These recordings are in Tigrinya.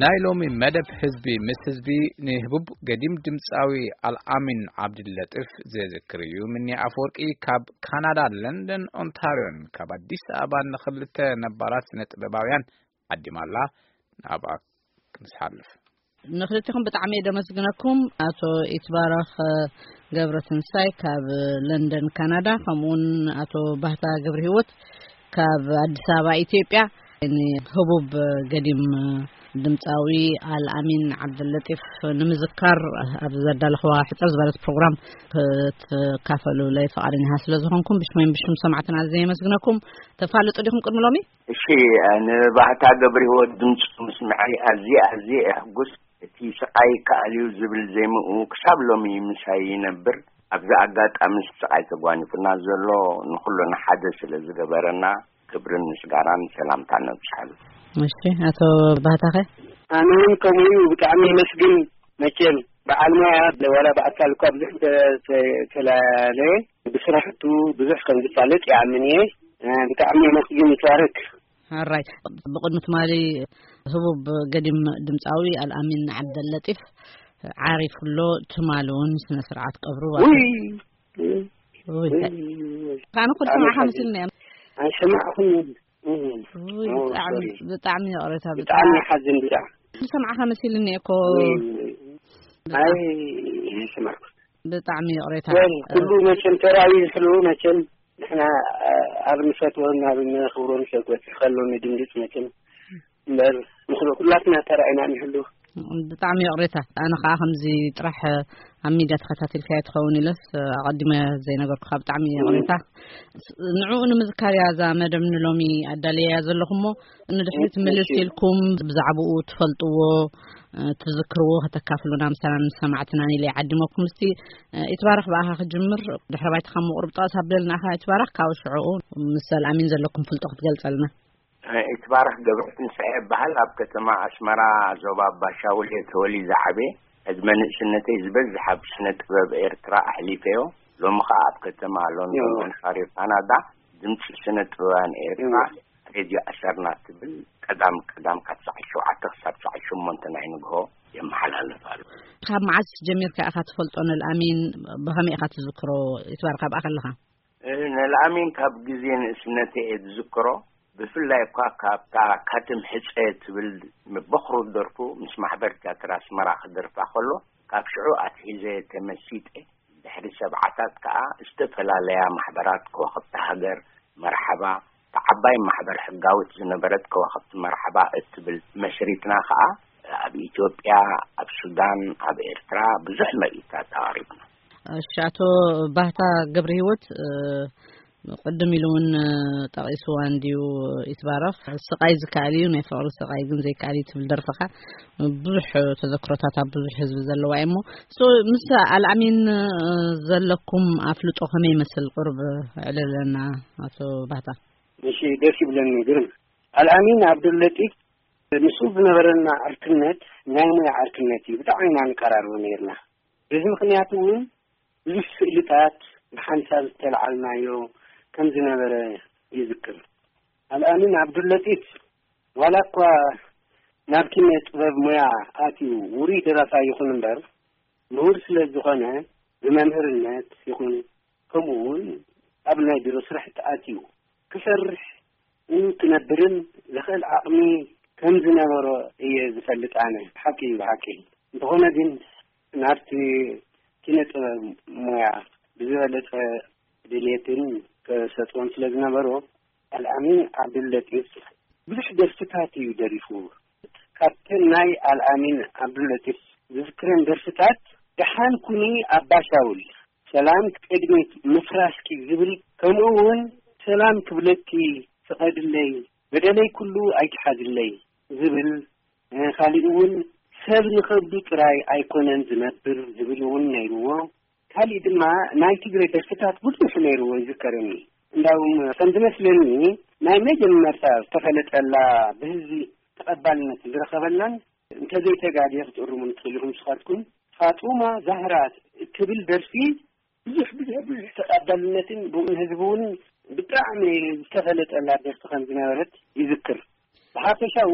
ናይ ሎሚ መደብ ህዝቢ ምስ ህዝቢ ንህቡብ ገዲም ድምፃዊ ኣልኣሚን ዓብድለጢፍ ዘዝክር እዩ። ምኒ ኣፈወርቂ ካብ ካናዳ ለንደን ኦንታሪዮን ካብ ኣዲስ ኣበባ ንኽልተ ነባራት ስነ ጥበባውያን ዓዲማላ። ናብኣ ክንስሓልፍ። ንኽልቲኹም ብጣዕሚ እየ ደመስግነኩም። ኣቶ ኢትባረኽ ገብረ ትንሳይ ካብ ለንደን ካናዳ፣ ከምኡውን ኣቶ ባህታ ገብረ ህይወት ካብ ኣዲስ ኣበባ ኢትዮጵያ፣ ንህቡብ ገዲም ድምፃዊ ኣልኣሚን ዓብደለጢፍ ንምዝካር ኣብ ዘዳለኽዋ ሕፅር ዝበለት ፕሮግራም ክትካፈሉለይ ፈቓደኛታት ስለ ዝኾንኩም ብሽመይን ብሽም ሰማዕትና ኣዝየ የመስግነኩም። ተፋልጡ ዲኹም ቅድሚ ሎሚ? እሺ፣ ንባህታ ገብረ ህይወት ድምፁ ምስምዐይ ኣዝየ ኣዝየ እሕጉስ። እቲ ስቓይ ይከኣል እዩ ዝብል ዜምኡ ክሳብ ሎሚ ምሳይ ይነብር። ኣብዚ ኣጋጣሚ ስቓይ ተጓኒፉና ዘሎ ንኹልና ሓደ ስለ ዝገበረና ክብርን ምስጋናን ሰላምታ ነብጽሓሉ። እሺ፣ ኣቶ ባህታኸ? ኣነ እውን ከምኡ እዩ፣ ብጣዕሚ የመስግን። መቸም በዓል ሞያ ዋላ ብኣካል እኳ ብዙሕ እንተፈላለየ ብስራሕቱ ብዙሕ ከም ዝፋለጥ ይኣምን እየ። ብጣዕሚ የመስግን። ይትባረክ። ኣራይ፣ ብቕድሚ ትማሊ ህቡብ ገዲም ድምፃዊ ኣልኣሚን ዓብደለጢፍ ዓሪፉ ኣሎ። ትማሊ እውን ስነ ስርዓት ቀብሩ ውይ፣ ውይ፣ ውይ፣ ውይ። ኣነ ኩሉ ሰማዕካ መሲሉኒ እየ። ኣይሰማዕኹን። ውይ፣ ብጣዕሚ ብጣዕሚ ይቕሬታ። ብጣዕሚ ሓዝን ብጣዕሚ። ኩሉ ሰማዕካ መሲሉኒ እኮ። ውይ፣ ውይ። ኣይ፣ ኣይሰማዕኩን። ብጣዕሚ ይቕሬታ። ኩሉ መቸም ተራእዩ ዝሕሉ መቸም ንሕና ኣብ ንፈትዎን ኣብ ነኽብሮን ሰብ ክበጽሕ ከሎ ንድንግጽ መቸም እምበር ንኹሉ ኩላትና ተራኢና ንሕሉ። ብጣዕሚ ይቕሬታ። ኣነ ኸዓ ከምዚ ጥራሕ ኣብ ሚድያ ተኸታቲልካዮ ትኸውን ኢለስ ኣቐዲመ ዘይነገርኩኻ። ብጣዕሚ ይቕሬታ። ንዕኡ ንምዝካር እያ እዛ መደብ ንሎሚ ኣዳልያ ዘለኹሞ። ንድሕሪት ምልስ ኢልኩም ብዛዕባኡ ትፈልጥዎ ትዝክርዎ ከተካፍሉና ምሳና ንሰማዕትናን ኢለ ይዓድመኩም። እስቲ ኢትባረኽ ብኣኻ ክጅምር። ድሕሪ ባይታ ካብ ምቕሩብ ጠቐስ ኣብለልና ኢኻ ኢትባረኽ። ካብ ሽዕኡ ምስ ኣልኣሚን ዘለኩም ፍልጦ ክትገልጸልና። ኢትባረኽ ገብረትንሳኤ እበሃል። ኣብ ከተማ ኣስመራ ዞባ ባሻውል እየ ተወሊደ ዓብየ። ዕድመ ንእስነተይ ዝበዝሕ ኣብ ስነ ጥበብ ኤርትራ ኣሕሊፈዮ። ሎሚ ኸኣ ኣብ ከተማ ሎንዶን ኦንታርዮ ካናዳ ድምፂ ስነ ጥበባን ኤርትራ ሬድዮ ኣሰርና ትብል ቀዳም ቀዳም ካብ ሰዓት ሸውዓተ ክሳብ ሰዓት ሸሞንተ ናይ ንግሆ የመሓላልፍ ኣሎ። ካብ መዓስ ጀሚርካ ኢኻ ትፈልጦ ንልኣሚን? ብኸመይ ኢኻ ትዝክሮ? ይትባር ካብኣ ከለኻ? ንልኣሚን ካብ ግዜ ንእስነተ እየ ዝዝክሮ። ብፍላይ እኳ ካብታ ካትም ሕፀ ትብል በኽሩ ደርፉ ምስ ማሕበር ቲያትር ኣስመራ ክደርፋ ከሎ ካብ ሽዑ ኣትሒዘ ተመሲጠ። ድሕሪ ሰብዓታት ከኣ ዝተፈላለያ ማሕበራት ከዋኽብቲ ሃገር መርሓባ፣ እታ ዓባይ ማሕበር ሕጋዊት ዝነበረት ከዋኽብቲ መርሓባ እትብል መስሪትና ከኣ ኣብ ኢትዮጵያ፣ ኣብ ሱዳን፣ ኣብ ኤርትራ ብዙሕ ምርኢታት ኣቕሪብና። እሺ፣ ኣቶ ባህታ ገብረ ህይወት፣ እ፣ ቅድም ኢሉ እውን፣ እ፣ ጠቒስዋ እንድዩ ይትባረኽ። ስቓይ ዝከኣል እዩ፣ ናይ ፍቕሪ ስቓይ ግን ዘይከኣል እዩ ትብል ደርፍኻ ብዙሕ ተዘክሮታት ኣብ ብዙሕ ህዝቢ ዘለዋ እዩ እሞ፣ ሶ፣ ምስ ኣልኣሚን፣ እ፣ ዘለኩም ኣፍልጦ ከመይ ይመስል? ቁሩብ ኣዕልለና ኣቶ ባህታ። እሺ፣ ደስ ይብለኒ። ግርም ኣልኣሚን ዓብዱለጢፍ ምስኡ ዝነበረና ዕርክነት ናይ ሞያ ዕርክነት እዩ። ብጣዕሚ ኢና ንቀራርቦ ነይርና። በዚ ምኽንያት እውን ብዙሕ ስእልታት ብሓንሳብ ዝተለዓልናዮ ከም ዝነበረ ይዝክር። ኣልኣሚን ዓብዱለጢፍ ዋላ እኳ ናብ ኪነ ጥበብ ሞያ ኣትዩ ውሩይ ደራፋይ ይኹን እምበር፣ ምሁር ስለ ዝኾነ ብመምህርነት ይኹን ከምኡ እውን ኣብ ናይ ቢሮ ስራሕቲ ኣትዩ ክሰርሕ ክነብርን ዝኽእል ዓቕሚ ከም ዝነበሮ እየ ዝፈልጥ ኣነ። ሓቂ እዩ ብሓቂ። እንተኾነ ግን ናብቲ ኪነ ጥበብ ሞያ ብዝበለጸ ድሌትን ተሰጥኦን ስለ ዝነበሮ፣ ኣልኣሚን ዓብዱለጢፍ ብዙሕ ደርፍታት እዩ ደሪፉ። ካብተን ናይ ኣልኣሚን ዓብዱለጢፍ ዝዝክረን ደርፍታት ደሓን ኩኒ ኣባ ሻውል፣ ሰላም ቅድሚት ምፍራስኪ ዝብል፣ ከምኡ እውን ሰላም ክብለኪ ፍቐድለይ፣ በደለይ ኩሉ ኣይትሓዝለይ ዝብል፣ እ፣ ካሊእ እውን ሰብ ንኸብዱ ጥራይ ኣይኮነን ዝነብር ዝብል እውን ነይርዎ። ካሊእ ድማ ናይ ትግረ ደርፍታት ብዙሕ ነይርዎ ይዝከረኒ። እንዳውም ከም ዝመስለኒ ናይ መጀመርታ ዝተፈለጠላ ብህዝቢ ተቐባልነት ዝረኸበላን እንተዘይተጋግየ ክትእርሙኒ ትኽእሉ ኢኹም ንስኻትኩም፣ ፋጡማ ዛህራ እትብል ደርፊ ብዙሕ፣ ብዙሕ፣ ብዙሕ ተቐባልነትን ብእውን ህዝቢ እውን ብጣዕሚ ዝተፈለጠላ ደርፊ ከም ዝነበረት ይዝክር። ብሓፈሻኡ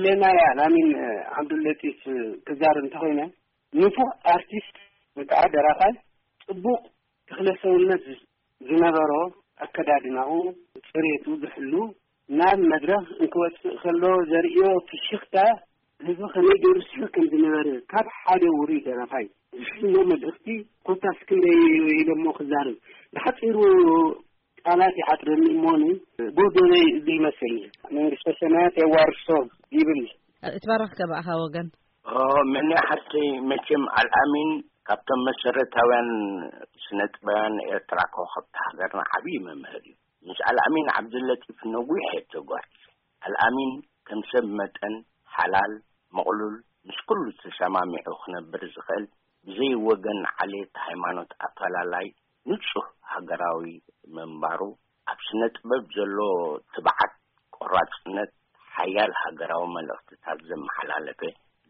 ለናያ ላሚን ዓብዱለጢፍ ክዛር እንተኾይነ፣ ንፉዕ ኣርቲስት ወይ ከዓ ደራፋይ፣ ጽቡቕ ተኽለ ሰውነት ዝነበሮ፣ ኣከዳድናኡ፣ ጽሬቱ ዝሕሉ፣ ናብ መድረኽ እንክወጽእ ከሎ ዘርእዮ ፍሽኽታ፣ ህዝቢ ከመይ ገይሩ ስሒቕ ከም ዝነበረ፣ ካብ ሓደ ውሩይ ደራፋይ ዝፍኖ መልእኽቲ ኮታስ ክንደይ ኢሎሞ ክዛረብ። ብሓጺሩ ቃላት ይሓጽረኒ እሞኒ፣ ጎደለይ እዚ ይመስል። መንግስተ ሰማያት የዋርሶ ይብል። እትባረኽ ከ ብኣኻ ወገን? ኦ፣ መን ሓሰይ መቸም ኣልኣሚን ካብቶም መሰረታውያን ስነ ጥበባውያን ኤርትራ፣ ኮኸብቲ ሃገርና ዓብዪ መምህር እዩ። ምስ ኣልኣሚን ዓብዱለጢፍ ነዊሕ እየ ተጓዒዘ። ኣልኣሚን ከም ሰብ መጠን ሓላል፣ ምቕሉል፣ ምስ ኩሉ ተሰማሚዑ ክነብር ዝኽእል፣ ብዘይ ወገን ዓሌት ሃይማኖት ኣፈላላይ ንጹህ ሃገራዊ ምንባሩ፣ ኣብ ስነ ጥበብ ዘሎ ትብዓት፣ ቆራጽነት፣ ሓያል ሃገራዊ መልእኽትታት ዘመሓላለፈ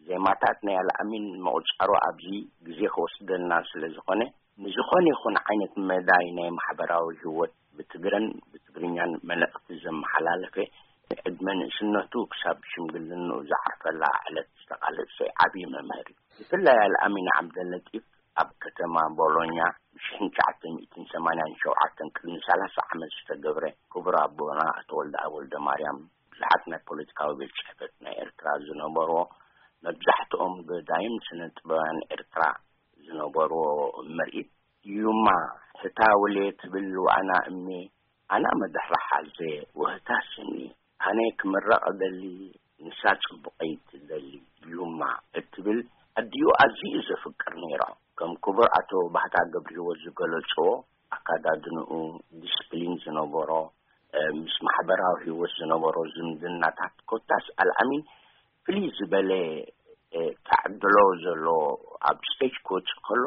ዜማታት ናይ ኣልኣሚን ምቑጻሩ ኣብዚ ግዜ ክወስደልና ስለ ዝኾነ፣ ንዝኾነ ይኹን ዓይነት መዳይ ናይ ማሕበራዊ ህይወት ብትግረን ብትግርኛን መልእኽቲ ዘመሓላለፈ፣ ዕድመ ንእስነቱ ክሳብ ሽምግልንኡ ዝዓርፈላ ዕለት ዝተቓለሰ ዓብዪ መምህር እዩ። ብፍላይ ኣልኣሚን ዓብደለጢፍ ኣብ ከተማ ቦሎኛ ብሽሕን ትሽዓተ ሚእትን ሰማንያን ሸውዓተን ቅድሚ ሰላሳ ዓመት ዝተገብረ፣ ክቡር ኣቦና ኣቶ ወልደኣብ ወልደማርያም ብዙሓት ናይ ፖለቲካዊ ቤት ጽሕፈት ናይ ኤርትራ ዝነበርዎ፣ መብዛሕትኦም ገዳይም ስነ ጥበባውያን ኤርትራ ዝነበርዎ ምርኢት፣ ዩማ ህታ ውሌ ትብል ዋና እሜ፣ ኣና መድሕራ ሓዘ ወህታ ስኒ፣ ኣነ ክምረቕ እደሊ፣ ንሳ ጽቡቐይ ትደሊ፣ ዩማ እትብል ኣዲኡ ኣዝዩ ዘፍቅር ነይሩ። ከም ክቡር ኣቶ ባህታ ገብረሂወት ዝገለጽዎ፣ ኣካዳድንኡ፣ ዲስፕሊን ዝነበሮ፣ እ፣ ምስ ማሕበራዊ ህይወት ዝነበሮ ዝምድናታት፣ ኮታስ ኣልኣሚን ፍልይ ዝበለ፣ እ፣ ተዕድሎ ዘሎ፣ ኣብ ስቴጅ ክወጽእ ከሎ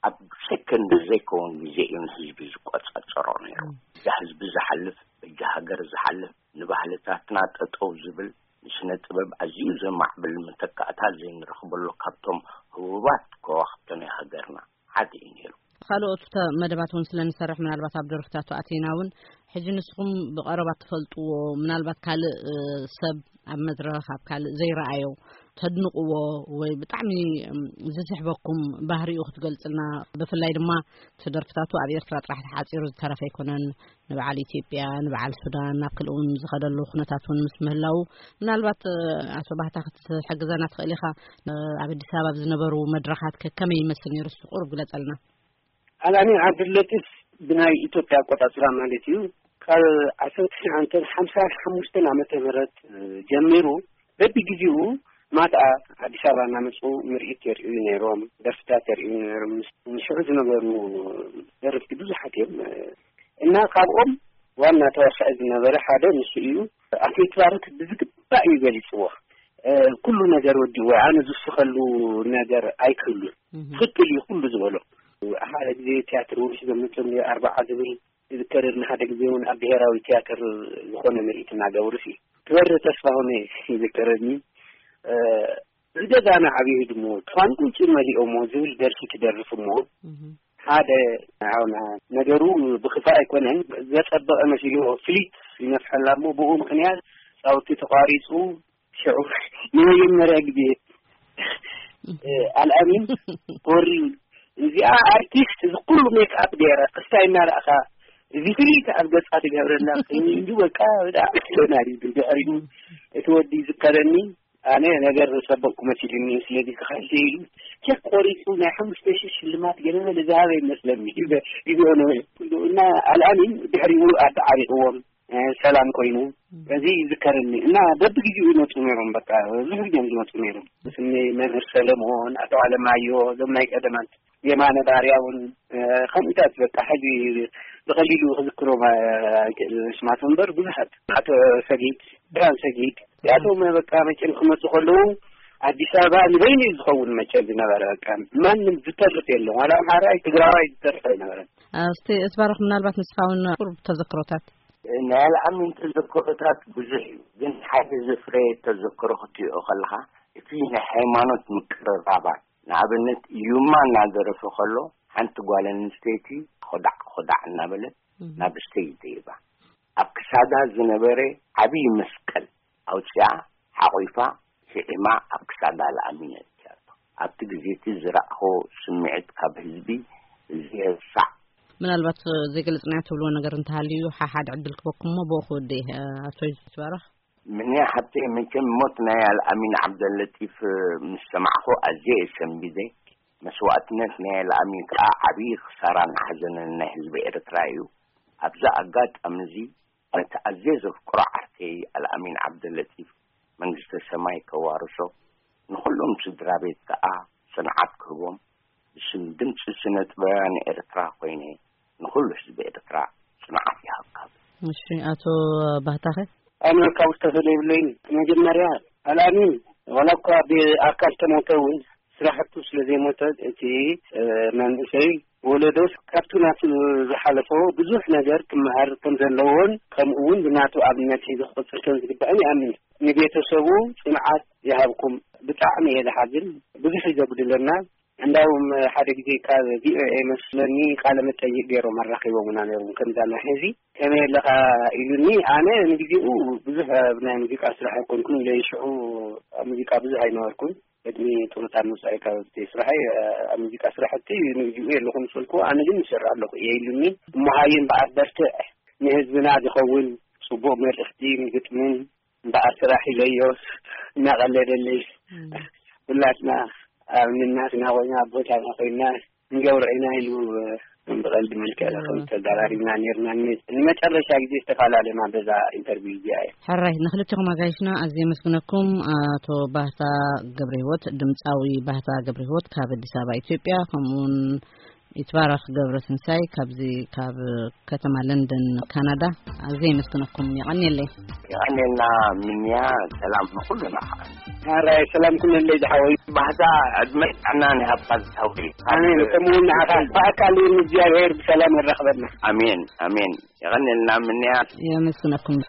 ኣብ ሰከንድ ዘይከውን ግዜ እዩ ንህዝቢ ዝቆጻጸሮ ነይሩ። ም። በጃ ህዝቢ ዝሓልፍ፣ በጃ ሃገር ዝሓልፍ፣ ንባህልታትና ጠጠው ዝብል፣ ንስነ ጥበብ ኣዝዩ ዘማዕብል መተካእታ ዘይንረኽበሉ፣ ካብቶም ህቡባት ከዋኽብቲ ናይ ሃገርና ሓደ እዩ ነይሩ። ካልኦት ተ-፣ መደባት እውን ስለ ንሰርሕ፣ ምናልባት ኣብ ደርፍታቱ ኣቲና እውን፣ ሕጂ ንስኹም ብቐረባ ትፈልጥዎ፣ ምናልባት ካልእ፣ እ፣ ሰብ ኣብ መድረኽ፣ ኣብ ካልእ ዘይረኣዮ፣ ተድንቕዎ ወይ ብጣዕሚ፣ እም፣ ዝስሕበኩም ባህሪኡ ክትገልጽልና፣ ብፍላይ ድማ እቲ ደርፍታቱ ኣብ ኤርትራ ጥራሕ ተሓጺሩ ዝተረፈ ኣይኮነን፣ ንበዓል ኢትዮጵያ፣ ንበዓል ሱዳን፣ ናብ ካልእ እውን ዝኸደሉ ኩነታት እውን ምስ ምህላዉ፣ ምናልባት፣ እ፣ ኣቶ ባህታ ክትሕግዘና ትኽእል ኢኻ? እ፣ ኣብ ኣዲስ ኣበባ ኣብ ዝነበሩ መድረኻት ከ ከመይ ይመስል ነይሩ? እስቲ ቁሩብ ግለጸልና። ኣልኣሚን ዓብዱለጢፍ ብናይ ኢትዮጵያ ኣቆጻጽራ ማለት እዩ፣ ካብ ዓሰርተ ትሽዓተ ሓምሳ ሓሙሽተ ዓመተ ምህረት ጀሚሩ በብግዜኡ ማትኣ ኣዲስ ኣበባ እናመጹ ምርኢት የርእዩ ነይሮም፣ ደርፍታት የርእዩ ነይሮም። ምስ-፣ ንሽዑ ዝነበሩ ደረፍቲ ብዙሓት እዮም። እና ካብኦም ዋና ተዋሳኢ ዝነበረ ሓደ ንሱ እዩ። ኣቶ ይትባረክ ብዝግባእ እዩ ገሊጽዎ። እ፣ ኩሉ ነገር ወዲዎ፣ ኣነ ዝውስኸሉ ነገር ኣይክህሉን። እህ። ትኽክል እዩ ኩሉ ዝበሎ። ሓደ ግዜ ቲያትር እውን ሒዞም መፅኦም ነይሩ፣ ኣርባዓ ዝብል ይዝከረኒ። ሓደ ግዜ እውን ኣብ ብሄራዊ ቲያትር ዝኾነ ምርኢት እናገበሩ ሲ ክበር ተስፋሁን ይዝከረኒ። እ፣ ብገዛና ዓብዩ ህድሞ፣ ትፋን ቁንጭ መሊኦሞ ዝብል ደርፊ ክደርፍ እሞ፣ እህ። ሓደ፣ ኣሁን ነገሩ ብክፋ ኣይኮነን፣ ዘጸበቐ መሲልዎ ፍሊት ይነፍሐላ እሞ፣ ብኡ ምኽንያት ጻውቲ ተቋሪጹ። ሽዑ ንመጀመርያ ግዜ፣ እ፣ ኣልኣሚን ኮሪ፣ እዚኣ ኣርቲስት፣ እዚ ኩሉ ሜክኣፕ ገይራ፣ ክስታይ እናረኣኻ፣ እዚ ፍሊት ኣብ ገጻ ትገብረላ፣ እንዲ በቃ፣ ብጣዕሚ ትገርም እዩ። ድሕሪኡ እቲ ወዲ ይዝከረኒ፣ ኣነ ነገር ዘጸበቕኩ መሲሉኒ፣ ስለዚ ክኸይድ ኢሉ ቸክ ቆሪጹ ናይ ሓሙሽተ ሺሕ ሽልማት ገለ መለ ዝሃበ ይመስለኒ። ይበ-፣ ይብኦ ነበረ። እና ኣልኣሚን ድሕሪኡ ኣተዓሪቕዎም፣ እ፣ ሰላም ኮይኑ፣ እዚ ይዝከረኒ። እና በብግዜኡ ይመጹ ነይሮም፣ በቃ ብዙሕ ግዜ እዮም ዝመጹ ነይሮም። ስኒ መምህር ሰለሞን፣ ኣቶ ኣለማዮ፣ እዞም ናይ ቀደማት፣ የማነ ባርያ እውን፣ እ፣ ከምኡታት በቃ ሕጂ ብቐሊሉ ክዝክሮም ኣይክእል ስማቶም እምበር ብዙሓት። ኣቶ ሰጊድ፣ ብርሃን ሰጊድ፣ እዚኣቶም በቃ መቸም ክመጹ ከለዉ ኣዲስ ኣበባ ንበይኑ እዩ ዝኸውን መቸም ዝነበረ። በቃ ማንም ዝተርፍ የለን፣ ዋላ ኣምሓራይ ትግራዋይ ዝተርፍ ኣይነበረን። እስቲ እትባረኽ፣ ምናልባት ንስኻ እውን ቁሩብ ተዘክሮታት። ናይ ኣልኣሚን ተዘክሮታት ብዙሕ እዩ፣ ግን ሓደ ዘፍረየ ተዘክሮ ክትሪኦ ከለኻ፣ እቲ ናይ ሃይማኖት ምቅርራባት፣ ንኣብነት ዩማ እናደረፈ ከሎ፣ ሓንቲ ጓል ኣንስተይቲ ኾዳዕ ኾዳዕ እናበለት እህ። ናብ ስቴጅ ደይባ፣ ኣብ ክሳዳ ዝነበረ ዓብዪ መስቀል ኣውፂኣ፣ ዓቒፋ፣ ስዒማ ኣብ ክሳዳ ለኣሚን ኣእትያቶ። ኣብቲ ግዜ እቲ ዝረኣኹ ስምዒት ካብ ህዝቢ ዘይርሳዕ። ምናልባት ዘይገለጽናዮ ትብልዎ ነገር እንተሃልዩ፣ ሓሓድ ዕድል ክበኩም እሞ ብኡ ክወድእ እየ። ኣቶ ይትባረኽ። ምንያ ሓብተይ፣ መቸም ሞት ናይ ኣልኣሚን ዓብደለጢፍ ምስ ሰማዕኹ ኣዝየ እየ ሰንቢደ። መስዋእትነት ናይ ኣልኣሚን ከኣ ዓብዪ ክሳራን ሓዘንን ናይ ህዝቢ ኤርትራ እዩ። ኣብዚ ኣጋጣሚ እዚ፣ ነቲ ኣዝየ ዘፍቅሮ ዓርከይ ኣልኣሚን ዓብደለጢፍ፣ መንግስተ ሰማይ ከዋርሶ፣ ንኹሎም ስድራ ቤት ከኣ ጽንዓት ክህቦም፣ ብስም ድምጺ ስነ ጥበባውያን ኤርትራ ኮይነ፣ ንኹሉ ህዝቢ ኤርትራ ጽንዓት ይሃብካ። እሺ፣ ኣቶ ባህታኸ? ኣነ ካብ ዝተፈለየ የብለይን። መጀመርያ ኣልኣሚን፣ ዋላ እኳ ብኣካል ተሞተ እውን፣ ስራሕቱ ስለ ዘይሞተ፣ እቲ፣ እ፣ መንእሰይ ወለዶስ ካብቲ ናቱ ዝሓለፎ ብዙሕ ነገር ክመሃር ከም ዘለዎን፣ ከምኡ እውን ብናቱ ኣብነት ሒዙ ክቕጽል ከም ዝግባእን ይኣምን። ንቤተሰቡ ጽንዓት ይሃብኩም። ብጣዕሚ እየ ዝሓዝን። ብዙሕ እዩ ዘጉድለና። እንዳውም ሓደ ግዜ ካብ ቪኦኤ መስለኒ ቃለ መጠይቅ ገይሮም ኣራኺቦምና ነይሮም። ከምዛ ናይ ሕዚ ከመይ ኣለኻ ኢሉኒ። ኣነ ንግዜኡ ብዙሕ ኣብ ናይ ሙዚቃ ስራሕ ኣይኮንኩን፣ ኢለ ሽዑ ኣብ ሙዚቃ ብዙሕ ኣይነበርኩን። ቅድሚ ጡረታ ምውፃእ ካብ እቲ ስራሐይ፣ ኣብ ሙዚቃ ስራሕቲ ንግዜኡ የለኹን ስልኩ። ኣነ ግን ይሰርሕ ኣለኹ እየ ኢሉኒ። እሞ ሃየ እምበኣር በርትዕ፣ ንህዝብና ዝኸውን ጽቡቕ መልእኽቲ ግጥምን እምበኣር ስራሕ ኢለዮ እናቐለደለይ። እም። ሁላትና ኣብ ንናትና ኮይና፣ ኣብ ቦታና ኮይና ንገብሮ ኢና ኢሉ፣ እ፣ ብቐልዲ መልክዕ እዎ። ከም ተዘራሪብና ነርና። ን-፣ ንመጨረሻ ግዜ ዝተፈላለና በዛ ኢንተርቪው እዚኣ እያ። ሕራይ፣ ንክልቲኹም ኣጋይሽና ኣዝየ የመስግነኩም። ኣቶ ባህታ ገብረ ህይወት፣ ድምፃዊ ባህታ ገብረ ህይወት ካብ ኣዲስ ኣበባ ኢትዮጵያ፣ ከምኡውን ይትባረኽ ገብረ ትንሳይ ካብዚ ካብ ከተማ ለንደን ካናዳ፣ ኣዝየ የመስግነኩም። የቐንየለይ። የቐንየልና ምንያ፣ ሰላም ንኹልና። ሕራይ፣ ሰላም ኩነለይ ዝሓወይ። ባህታ ዕድመ ጥዕናን ይሃብካ ዝሓወይ። ኣሜን። ከምኡ እውን ንዓኻ ብኣካል እውን እግዚኣብሔር ብሰላም የራኽበና። ኣሜን፣ ኣሜን። የቐንየልና ምንያ። የመስግነኩም።